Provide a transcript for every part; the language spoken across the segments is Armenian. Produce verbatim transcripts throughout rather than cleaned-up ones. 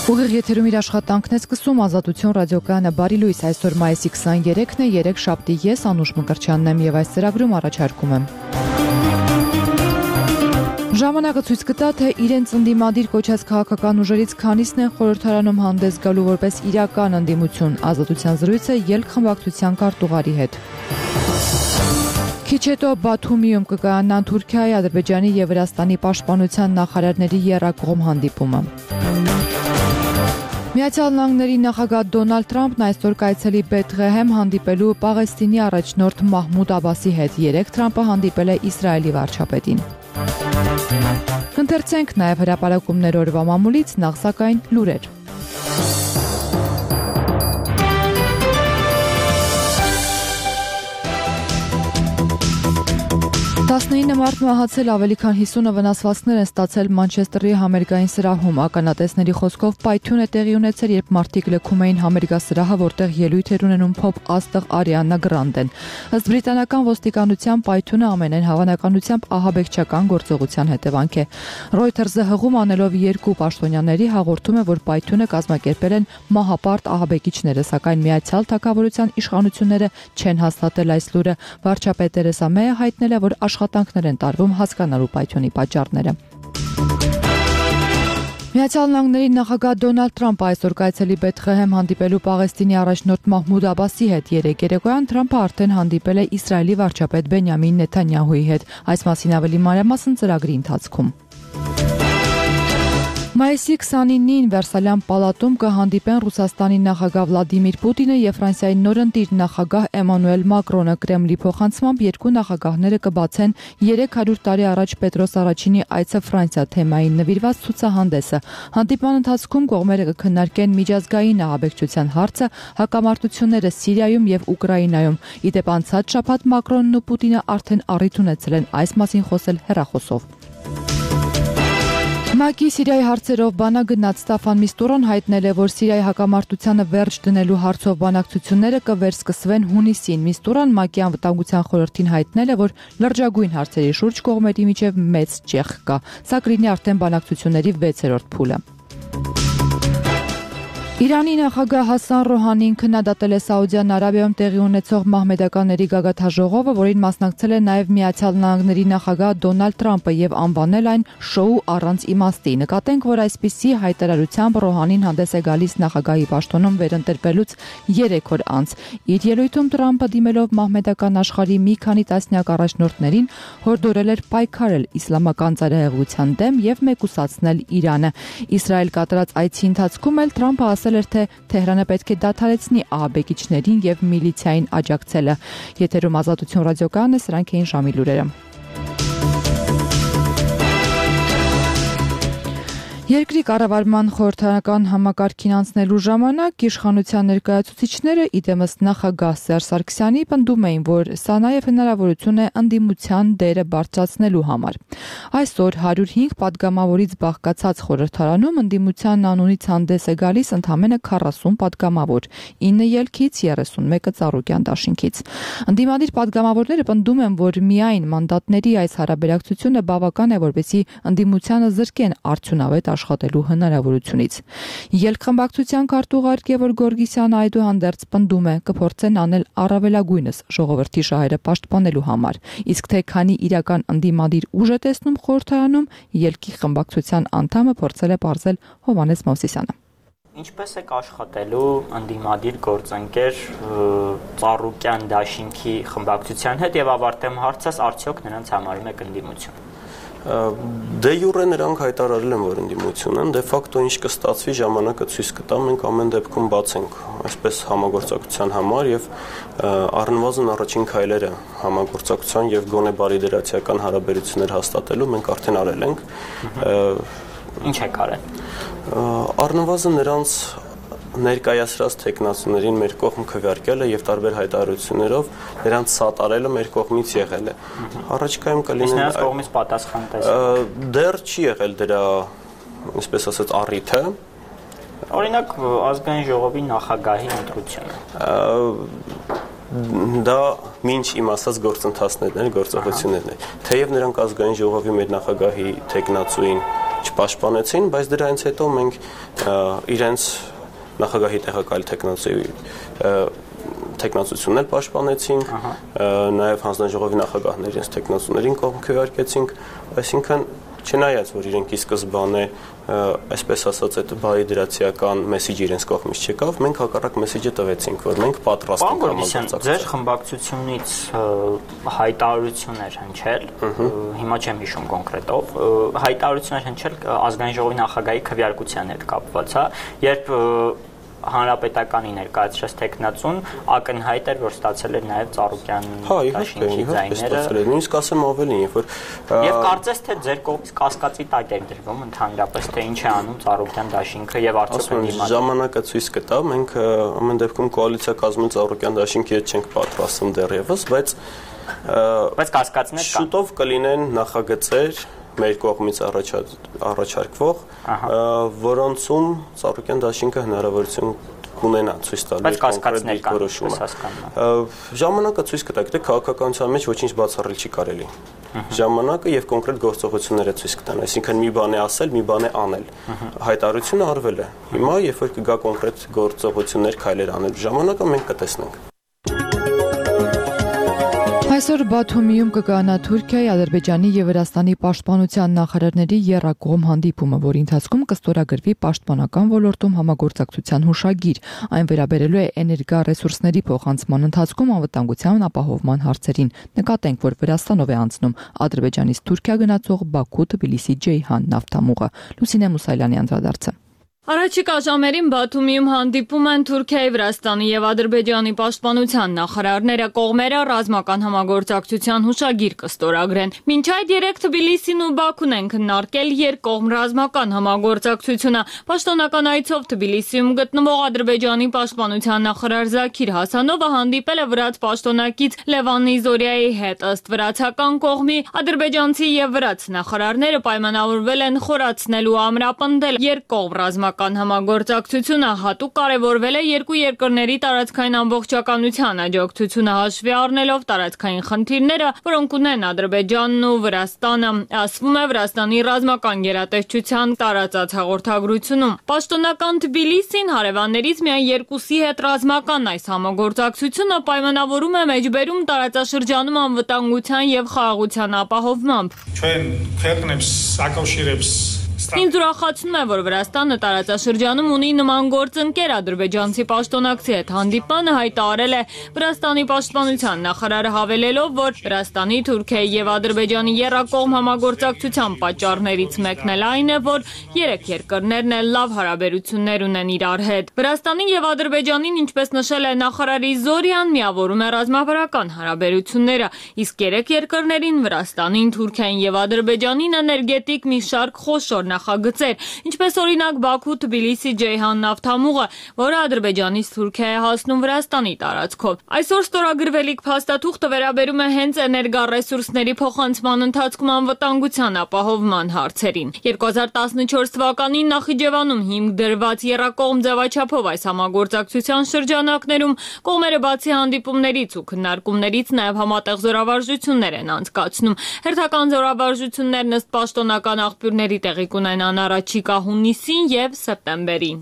Ուղիղ եթերում իր աշխատանքն է սկսում Ազատություն ռադիոկայանը բարի լույս, այսօր մայիսի քսաներեքն է, երեք շաբթի, ես Անուշ Մկրտչյանն եմ եւ այս ծրագրում առաջարկում եմ։ Ժամանակը ցույց կտա, թե իրենց ընդդիմադիր կոչած քաղաքական ուժերից քանիսն են խորհրդարանում հանդես գալու որպես իրական ընդդիմություն, Ազատության զրույցը ելք խմբակցության քարտուղարի հետ։ Քիչ հետո Բաթումիում կկայանան Թուրքիայի, Ադրբեջանի եւ Վրաստանի պաշտպանության նախարարների եռակողմ հանդիպումը։ Միացյալ Նահանգների նախագահ Դոնալդ Թրամփն այսօր կայցելի Բեթղեհեմ հանդիպելու Պաղեստինի առաջնորդ Մահմուդ Աբասի հետ, երեկ Թրամփը հանդիպել է Իսրայելի վարչապետին։ Ընթերցենք նաև հրապարակումներ օրվա մամուլից, նախ սակայն լուրեր։ տասնինը մարդ մահացել, ավելի քան հիսունը վնասվածքներ են ստացել Մանչեսթերի համերգային սրահում։ Ականատեսների խոսքով պայթյուն է տեղի ունեցել, երբ մարդիկ լքում էին համերգասրահը, որտեղ ելույթ էր ունենում փոփ աստղ Արիանա Գրանդեն։ Ըստ բրիտանական ոստիկանության պայթյունը ամենայն հավանականությամբ ահաբեկչական գործողության հետևանք է։ Reuters-ը հղում անելով երկու պաշտոնյաների հաղորդում է, որ պայթյունը կազմակերպել են մահապարտ ահաբեկիչները, սակայն Միացյալ Թագավորության իշխանությունները չեն հաստատել այս լուրը։ Վարչապետ Թերեսա Մեյը հայտնել է, որ աշխատանքներ են տարվում հասկանալու պայթյունի պատճառները։ Միացյալ Նահանգների նախագահ Դոնալդ Թրամփը այսօր կայցելի Բեթղեհեմ հանդիպելու Պաղեստինի առաջնորդ Մահմուդ Աբասի հետ, երեկ երեկոյան Թրամփը արդեն հանդիպել է Իսրայելի վարչապետ Բենյամին Նեթանյահուի հետ, այս մասին ավելի մանրամասն ծրագրի ընթացքում։ Մայիսի քսանինին Վերսալյան պալատում կհանդիպեն Ռուսաստանի նախագահ Վլադիմիր Պուտինը եւ Ֆրանսիայի նորընտիր նախագահ Էմանուել Մակրոնը։ Կրեմլի փոխանցմամբ երկու նախագահները կբացեն երեք հարյուր տարի առաջ Պետրոս Առաջինի այցը Ֆրանսիա թեմային նվիրված ցուցահանդեսը։ Հանդիպման ընթացքում կողմերը կքննարկեն միջազգային ահաբեկչության հարցը, հակամարտությունները Սիրիայում եւ Ուկրաինայում։ Ի դեպ անցած շաբաթ Մակրոնն ու Պուտինը արդեն առիթ ունեցել են այս մասին խոսել հեռախոսով։ ՄԱԿ-ի Սիրիայի հարցերով բանագնաց Ստաֆան Միստուրոն հայտնել է, որ Սիրիայի հակամարտությանը վերջ դնելու հարցով բանակցությունները կվերսկսվեն հունիսին։ Միստուրոն ՄԱԿ-ի անվտանգության խորհրդին հայտնել է, որ լրջագույն հարցերի շուրջ կողմերի միջև մեծ ճեղք կա։ Սա կլինի արդեն բանակցությունների վեցերորդ փուլը։ Իրանի նախագահ Հասան Ռոհանին քննադատել է Սաուդյան Արաբիայում տեղի ունեցող մահմեդականների գագաթաժողովը, որին մասնակցել է նաև Միացյալ Նահանգների նախագահ Դոնալդ Թրամփը եւ անվանել այն շոու առանց իմաստի։ Նկատենք, որ այսպիսի հայտարարությամբ Ռոհանին հանդես է գալիս նախագահի պաշտոնում վերընտրվելուց երեք օր անց։ Իր ելույթում Թրամփը դիմելով մահմեդական աշխարհի մի քանի տասնյակ առաջնորդներին հորդորել էր պայքարել իսլամական ծայրահեղության դեմ եւ մեկուսացնել Իրանը։ Իսրայել կատարած այցի ընթացքում էլ Թրամփը ասել էր, թե Թեհրանը պետք է դադարեցնի ահաբեկիչներին եւ միլիցիային աջակցելը։ Եթերում Ազատություն ռադիոկայանը, սրանք էին ժամի լուրերը։ Երկրի կառավարման խորհրդարանական համակարգին անցնելու ժամանակ իշխանության ներկայացուցիչները, իդեմս նախագահ Սերժ Սարգսյանի, պնդում էին, որ սա նաև հնարավորություն է ընդդիմության դերը բարձրացնելու համար։ Այսօր հարյուր հինգ պատգամավորից բաղկացած խորհրդարանում ընդդիմության անունից հանդես է գալիս ընդամենը քառասուն պատգամավոր, ինը ելքից, երեսունմեկը Ծառուկյան դաշինքից։ Ընդդիմադիր պատգամավորները պնդում են, որ միայն մանդատների այս հարաբերակցությունը բավական է, որպեսզի ընդդիմությանը զրկեն արդյունավետ աշխատելու հնարավորությունից։ Ելքխմբակցության քարտուղար Գևորգ Գորգիսյանը այդուհանդերձ պնդում է, կփորձեն անել առավելագույնս ժողովրդի շահերը պաշտպանելու համար, իսկ թե քանի իրական ընդդիմադիր ուժ է տեսնում խորհրդարանում, ելքի խմբակցության անդամը փորձել է պարզել Հովհաննես Մովսիսյանը։ Ինչպես եք աշխատելու ընդդիմադիր գործընկեր Ծառուկյան դաշինքի խմբակցության հետ եւ ավարտեմ հարցս, արդյոք նրանց համարում եք ընդդիմություն։ Դե յուրե նրանք հայտարարել են, որ ընդդիմություն են, դե ֆակտո ինչ կստացվի ժամանակը ցույց կտա, մենք ամեն դեպքում բաց ենք այսպես համագործակցության համար եւ առնվազն առաջին քայլերը համագործակցության եւ գոնե բարիդրացիական հարաբերություններ հաստատելու մենք արդեն արել ենք։ Ինչ եք արել։ Առնվազն նրանց ներկայացրած տեխնացուներին մեր կողմ քվեարկելը եւ տարբեր հայտարարություններով նրանց սատարելը մեր կողմից եղել է։ Առաջիկայում կլինի նրանց կողմից պատասխան տեսնել։ Դեռ չի եղել դրա, այսպես ասած, առիթը։ Օրինակ ազգային ժողովի նախագահի ընտրությունը։ Դա մինչ իմ ասած գործընթացներն են, գործողություններն են։ Թեև նրանք ազգային ժողովի մեր նախագահի տեխնացուին չպաշտպանեցին, բայց դրանից հետո մենք իրենց նախագահի տեղակալ տեխնացուի տեխնացություններ պաշտպանեցինք, նաև հանձնաժողովի նախագահների իրենց տեխնացուներին կողմ քվեարկեցինք, այսինքն չնայած որ իրենք ի սկզբանե այսպես ասած այդ բայ դրացիական մեսեջը իրենց կողմից չեկավ, մենք հակառակ մեսեջը տվեցինք, որ մենք պատրաստ ենք համագործակցել։ Ձեր խմբակցությունից հայտարարություններ հնչել, հիմա չեմ հիշում կոնկրետով, հայտարարություններ հնչել ազգային ժողովի նախագահի քվեարկության հետ կապված, հա, երբ հանրապետականի ներկայացրած տեխնացուն ակնհայտ էր, որ ստացել էր նաև Ծառուկյան դաշինքի ձայները։ Նույնիսկ ասեմ ավելին, երբ որ Եվ կարծես թե ձեր կողմից կասկածի տակ էր դրվում ընդհանրապես թե ինչ է անում Ծառուկյան դաշինքը եւ արդյոք ընդդիմադիր։ Ժամանակը ցույց կտա, մենք ամեն դեպքում կոալիցիա կազմում Ծառուկյան դաշինքի հետ չենք պատրաստվում դեռևս, բայց բայց կասկածներ կան։ Շուտով կլինեն նախագծեր մեր կողմից առաջարկվող, որոնցում Ծառուկյան դաշինքը հնարավորություն կունենա ցույց տալու կոնկրետ որոշումը։ Ժամանակը ցույց կտա, գիտեք, քաղաքականության մեջ ոչինչ բացառել չի կարելի։ Ժամանակը եւ կոնկրետ գործողությունները ցույց կտան, այսինքն մի բան է ասել, մի բան է անել։ Հայտարարությունը արվել է։ Հիմա երբ որ կգա կոնկրետ գործողություններ, քայլեր անել, ժամանակը մենք կտեսնենք։ Այսօր Բաթումիում կկայանա Թուրքիայի, Ադրբեջանի եւ Վրաստանի պաշտպանության նախարարների եռակողմ հանդիպումը, որի ընթացքում կստորագրվի պաշտպանական ոլորտում համագործակցության հուշագիր։ Այն վերաբերելու է էներգառեսուրսների փոխանցման ընթացքում անվտանգության ապահովման հարցերին։ Նկատենք, որ Վրաստանով է անցնում Ադրբեջանից Թուրքիա գնացող Բաքու-Թբիլիսի-Ջեյհան նավթամուղը։ Լուսինե Մուսայելյանի անդրադարձը։ Առաջիկա ժամերին Բաթումիում հանդիպում են Թուրքիայի, Վրաստանի եւ Ադրբեջանի պաշտպանության նախարարները, կողմերը ռազմական համագործակցության հուշագիր կստորագրեն։ Մինչ այդ երեք Թբիլիսին ու Բաքուն են քննարկել երկկողմ ռազմական համագործակցությունը։ Պաշտոնական այցով Թբիլիսիում գտնվող Ադրբեջանի պաշտպանության նախարար Զաքիր Հասանովը հանդիպել է վրաց պաշտոնակից Լևան Նիզորիայի հետ։ Ըստ վրացական կողմի ադրբեջանցի եւ վրաց նախարարները պայմանավորվել են խորացնել ու ամրապնդել երկկողմ ռազմական համագործակցությունը, հատուկ կարևորվել է երկու երկրների տարածքային ամբողջականության աջակցությունը հաշվի առնելով տարածքային խնդիրները, որոնք ունեն Ադրբեջանն ու Վրաստանը, ասվում է Վրաստանի ռազմական գերատեսչության տարածած հաղորդագրությունում։ Պաշտոնական Թբիլիսին հարևաններից միայն երկուսի հետ ռազմական այս համագործակցությունը պայմանավորում է մեջբերում տարածաշրջանում անվտանգության եւ խաղաղության ապահովմամբ։ Ჩვენ ქვეყნებს ակავშირებს Ինձ ուրախացնում է, որ Վրաստանը տարածաշրջանում ունի նման գործընկեր ադրբեջանցի պաշտոնակցի հետ հանդիպանը հայտարարել է Վրաստանի պաշտպանության նախարարը հավելելով, որ Վրաստանի, Թուրքիայի եւ Ադրբեջանի եռակողմ համագործակցության պատճառներից մեկն էլ այն է, որ երեք երկրներն էլ լավ հարաբերություններ ունեն իրար հետ։ Վրաստանի եւ Ադրբեջանին, ինչպես նշել է նախարարի Զորյան, միավորում է ռազմավարական հարաբերությունները, իսկ երեք երկրներին Վրաստանին, Թուրքիային եւ Ադրբեջանին էներգետիկ մի շարք խոշոր նախագծեր, ինչպես օրինակ Բաքու-Թբիլիսի-Ջեյհան նավթամուղը, որը Ադրբեջանից Թուրքիա է հասնում Վրաստանի տարածքով։ Այսօր ստորագրվելիք փաստաթուղթը վերաբերում է հենց էներգառեսուրսների փոխանցման ընթացքում անվտանգության ապահովման հարցերին։ երկու հազար տասնչորս թվականին Նախիջևանում հիմք դրված եռակողմ ձևաչափով այս համագործակցության շրջանակներում կողմերը բացի հանդիպումներից ու քննարկումներից նաև համատեղ զորավարժություններ են անցկացնում։ Հերթական զորավարժություններն ըստ պաշտոնական աղբյուրների տեղի կունենան առաջիկա հունիսին եւ սեպտեմբերին։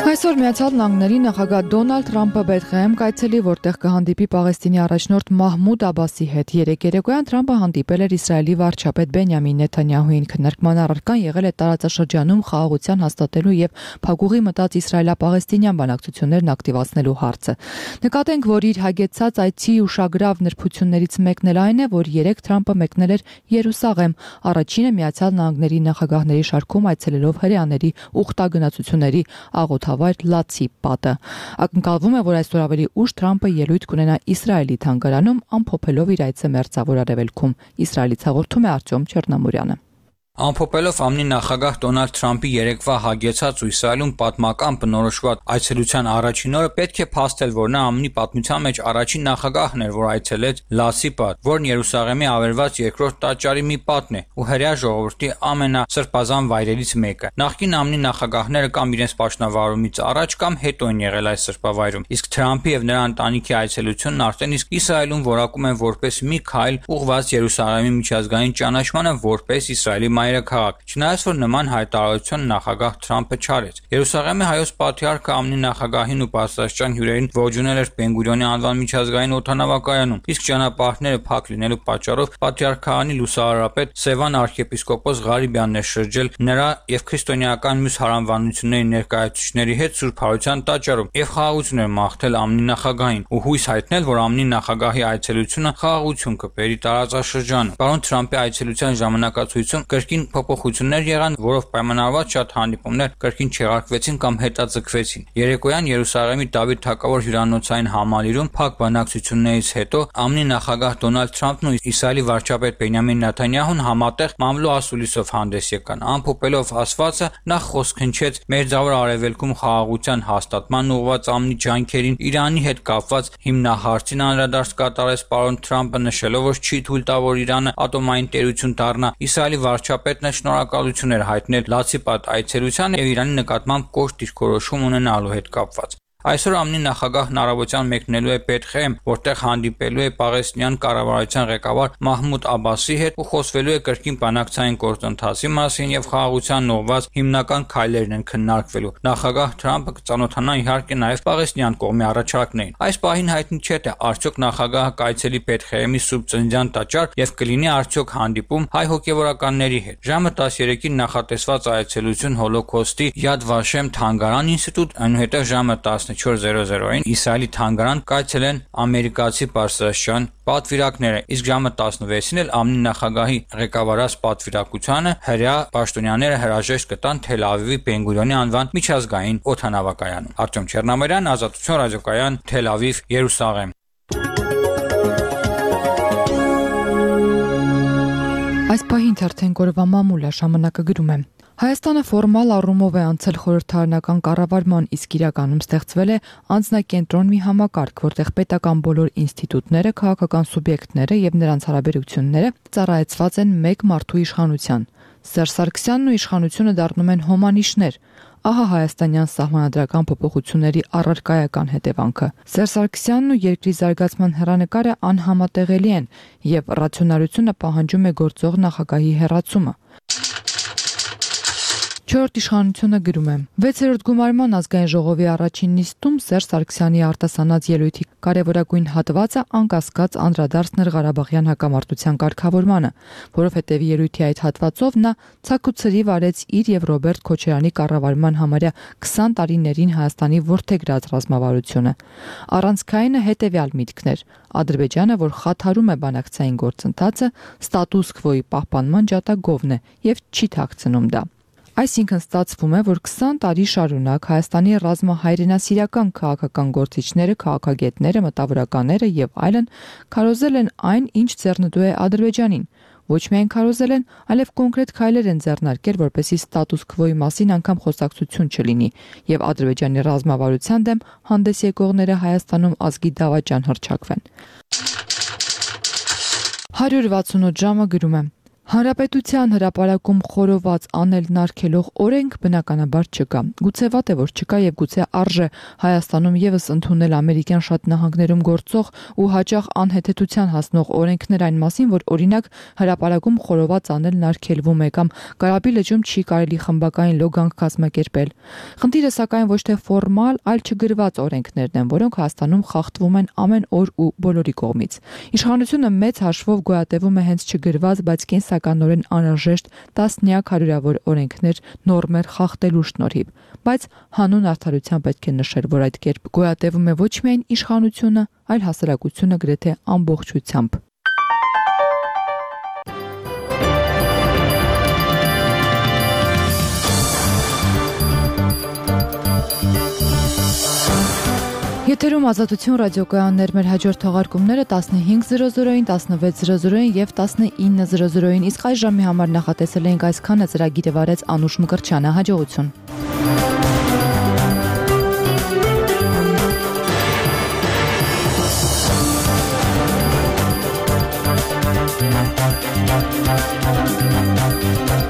Այսօր Միացյալ Նահանգների նախագահ Դոնալդ Թրամփը Բեթղեհեմ կայցելի, որտեղ կհանդիպի Պաղեստինի առաջնորդ Մահմուդ Աբասի հետ։ Երեկ երեկոյան Թրամփը հանդիպել էր Իսրայելի վարչապետ Բենյամին Նեթանյահուին։ Քննարկման առարկան եղել է տարածաշրջանում խաղաղության հաստատելու եւ փակուղի մտած իսրայելա-պաղեստինյան բանակցություններն ակտիվացնելու հարցը։ Նկատենք, որ իր հագեցած այցի ուշագրավ նրբություններից մեկն էլ այն է, որ երեկ Թրամփը մեկնել էր Երուսաղեմ, առաջինը Միացյալ Նահանգների նախագահների շարքում այցելելով հրեաների ուխտագնացությունների աղոթավայր Լացի պատը։ Ակնկալվում է, որ այսօր ավելի ուշ Թրամփը ելույթ կունենա Իսրայելի թանգարանում, ամփոփելով իր այցը Մերձավոր Արևելքում։ Իսրայելից հաղորդում է Արտյոմ Չեռնամուրյանը։ Ամփոփելով ԱՄՆ նախագահ Դոնալդ Թրամփի երեկվա հագեցած ու Իսրայելում պատմական բնորոշված այցելության առաջին օրը պետք է փաստել, որ նա ԱՄՆ պատմության մեջ առաջին նախագահն էր, որ այցելեց Լասի պատ, որն Երուսաղեմի ավերված երկրորդ տաճարի մի պատն է ու հրեա ժողովրդի ամենասրբազան վայրերից մեկը։ Նախկին ԱՄՆ նախագահները կամ իրենց պաշտոնավարումից առաջ կամ հետո են եղել այս սրբավայրում, իսկ Թրամփի եւ նրա ընտանիքի այցելությունն արդեն իսկ Իսրայելում որակում են որպես մի քայլ ուղղված Երուսաղեմի միջազգային ճանաչմանը որպես Իսրայելի մայրաքաղաք, չնայած որ նման հայտարարություն նախագահ Թրամփը չարեց։ Երուսաղեմի հայոց պատրիարքը ԱՄՆ նախագահին ու բարձրաստիճան հյուրերին ողջունել էր Բեն-Գուրիոնի անվան միջազգային օդանավակայանում, իսկ ճանապարհները փակ լինելու պատճառով պատրիարք քահանի լուսահարապետ Սևան arczepiskopos Ղարիբյանն էր շրջել նրա եւ քրիստոնեական մյուս հարանվանությունների ներկայացուցիչների հետ Սուրբ Հարության տաճարում եւ խաղաղություն էր մաղթել ԱՄՆ նախագահին ու հույս հայտնել, որ ԱՄՆ նախագահի այցելությունը խաղաղություն կբերի տարածաշրջանը։ Պարոն Թրամփի այցելության ժամանակացույցում կրկին փոփոխություններ եղան, որով պայմանավորված շատ հանդիպումներ կրկին չեղարկվեցին կամ հետաձգվեցին։ Երեկոյան Երուսաղեմի Դավիթ թագավոր հյուրանոցային համալիրում փակ բանակցություններից հետո ԱՄՆ նախագահ Դոնալդ Թրամփն ու Իսրայելի վարչապետ Բենյամին Նեթանյահուն համատեղ մամլո ասուլիսով հանդես եկան։ Ամփոփելով ասվածը նախ խոսք հնչեց Մերձավոր Արևելքում խաղաղության հաստատման ուղղված ԱՄՆ ջանքերին, Իրանի հետ կապված հիմնահարցին անդրադարձ կատարեց պարոն Թրամփը, նշելով, որ չի թույլ տա, որ Իրանը ատոմային տերություն դառնա։ Իսրայելի վարչապետն էլ շնորհակալություն էր հայտնել լացիպատ այցելության եւ Իրանի նկատմամբ կոշտ դիրքորոշում ունենալու հետ կապված։ Այսօր ԱՄՆ նախագահն առավոտյան մեկնելու է Բեթխեհեմ, որտեղ հանդիպելու է պաղեստինյան կառավարության ղեկավար Մահմուդ Աբասի հետ ու խոսվելու է կրկին բանակցային գործընթացի մասին եւ խաղաղության ուղղված հիմնական քայլերն են քննարկվելու։ Նախագահ Թրամփը կծանոթանա իհարկե նաեւ պաղեստինյան կողմի առաջարկներին։ Այս պահին հայտնի չէ, թե արդյոք նախագահը կայցելի Բեթխեհեմի Սուրբ Ծննդյան տաճար եւ կլինի արդյոք հանդիպում հայ հոգեվորականների հետ։ Ժամը տասներեքին նախատեսված այցելություն Հոլոքոստի Յադ Վաշեմ թանգարան ինստիտուտ, այնուհետև ժամը տասնչորս զրո զրոին Իսրայելի թանգարան կայցելեն ամերիկացի բարձրաստիճան պատվիրակները, իսկ ժամը տասնվեցին էլ ԱՄՆ նախագահի ղեկավարած պատվիրակությանը հրեա պաշտոնյաները հրաժեշտ կտան Թել Ավիվի Բեն-Գուրիոնի անվան միջազգային օդանավակայանում։ Արտյոմ Չեռնամարյան, Ազատություն ռադիոկայան, Թել Ավիվ, Երուսաղեմ։ Այս պահին թերթեն գորվա մամուլը ժամանակը գրում է։ Հայաստանը ֆորմալ առումով է անցել խորհրդարանական կառավարման, իսկ իրականում ստեղծվել է անձնակենտրոն մի համակարգ, որտեղ պետական բոլոր ինստիտուտները, քաղաքական սուբյեկտները եւ նրանց հարաբերությունները ծառայեցված են մեկ մարդու իշխանության։ Սերժ Սարգսյանն ու իշխանությունը դառնում են հոմանիշներ։ Ահա հայաստանյան սահմանադրական փոփոխությունների առարկայական հետևանքը։ Սերժ Սարգսյանն ու երկրի զարգացման հեռանկարը անհամատեղելի են եւ ռացիոնալությունը պահանջում է գործող նախագահի հեռացումը։ Չորրորդ իշխանությունը գրում է. վեցերորդ գումարման ազգային ժողովի առաջին նիստում Սերժ Սարգսյանի արտասանած ելույթի կարևորագույն հատվածը անկասկած անդրադարձն էր Ղարաբաղյան հակամարտության կարգավորմանը, որովհետև ելույթի այդ հատվածով նա ցաքուցրիվ արեց իր եւ Ռոբերտ Քոչարյանի կառավարման համարյա քսան տարիներին Հայաստանի ворթեգրած ռազմավարությունը։ Առանցքայինը հետեւյալ միտքն էր. Ադրբեջանը, որ խաթարում է բանակցային գործընթացը, ստատուս քվոյի պահպանման ջատագովն է եւ չի թաքցնում դա։ Այսինքն ստացվում է, որ քսան տարի շարունակ Հայաստանի ռազմահայրենասիրական քաղաքական գործիչները, քաղաքագետները, մտավորականները եւ այլն քարոզել են այն, ինչ ձեռնտու է Ադրբեջանին։ Ոչ միայն քարոզել են, այլև կոնկրետ քայլեր են ձեռնարկել, որպեսզի ստատուս քվոյի մասին անգամ խոսակցություն չլինի եւ Ադրբեջանի ռազմավարության դեմ հանդես եկողները Հայաստանում ազգի դավաճան հռչակվեն։ հարյուր վաթսունութ ժամը գրում է. Հանրապետության հրապարակում խորոված անելն արգելող օրենք բնականաբար չկա։ Գուցե վատ է, որ չկա եւ գուցե արժե Հայաստանում եւս ընդունել ամերիկյան շատ նահանգներում գործող ու հաճախ անհեթեթության հասնող օրենքներ այն մասին, որ օրինակ հրապարակում խորոված անելն արգելվում է կամ Կարապի լճում չի կարելի խմբակային լոգանք կազմակերպել։ Խնդիրը սակայն ոչ թե ֆորմալ, այլ չգրված օրենքներն են, որոնք Հայաստանում խախտվում են ամեն օր ու բոլորի կողմից։ Իշխանությունը մեծ հաշվով գոյատևում է հենց չգրված, բայց կենսականորեն անհրաժեշտ տասնյակ հարյուրավոր օրենքներ, նորմեր խախտելու շնորհիվ, բայց հանուն արդարության պետք է նշել, որ այդ կերպ գոյատևում է ոչ միայն իշխանությունը, այլ հասարակությունը գրեթե ամբողջությամբ։ Եթերում Ազատություն ռադիոկայաններ, մեր հաջորդ թողարկումները տասնհինգ զրո զրոին, տասնվեց զրո զրոին եւ տասնինը զրո զրոին, իսկ այս ժամի համար նախատեսել ենք այսքանը, ծրագիրը վարեց Անուշ Մկրտչյանը, հաջողություն։ We'll be right back.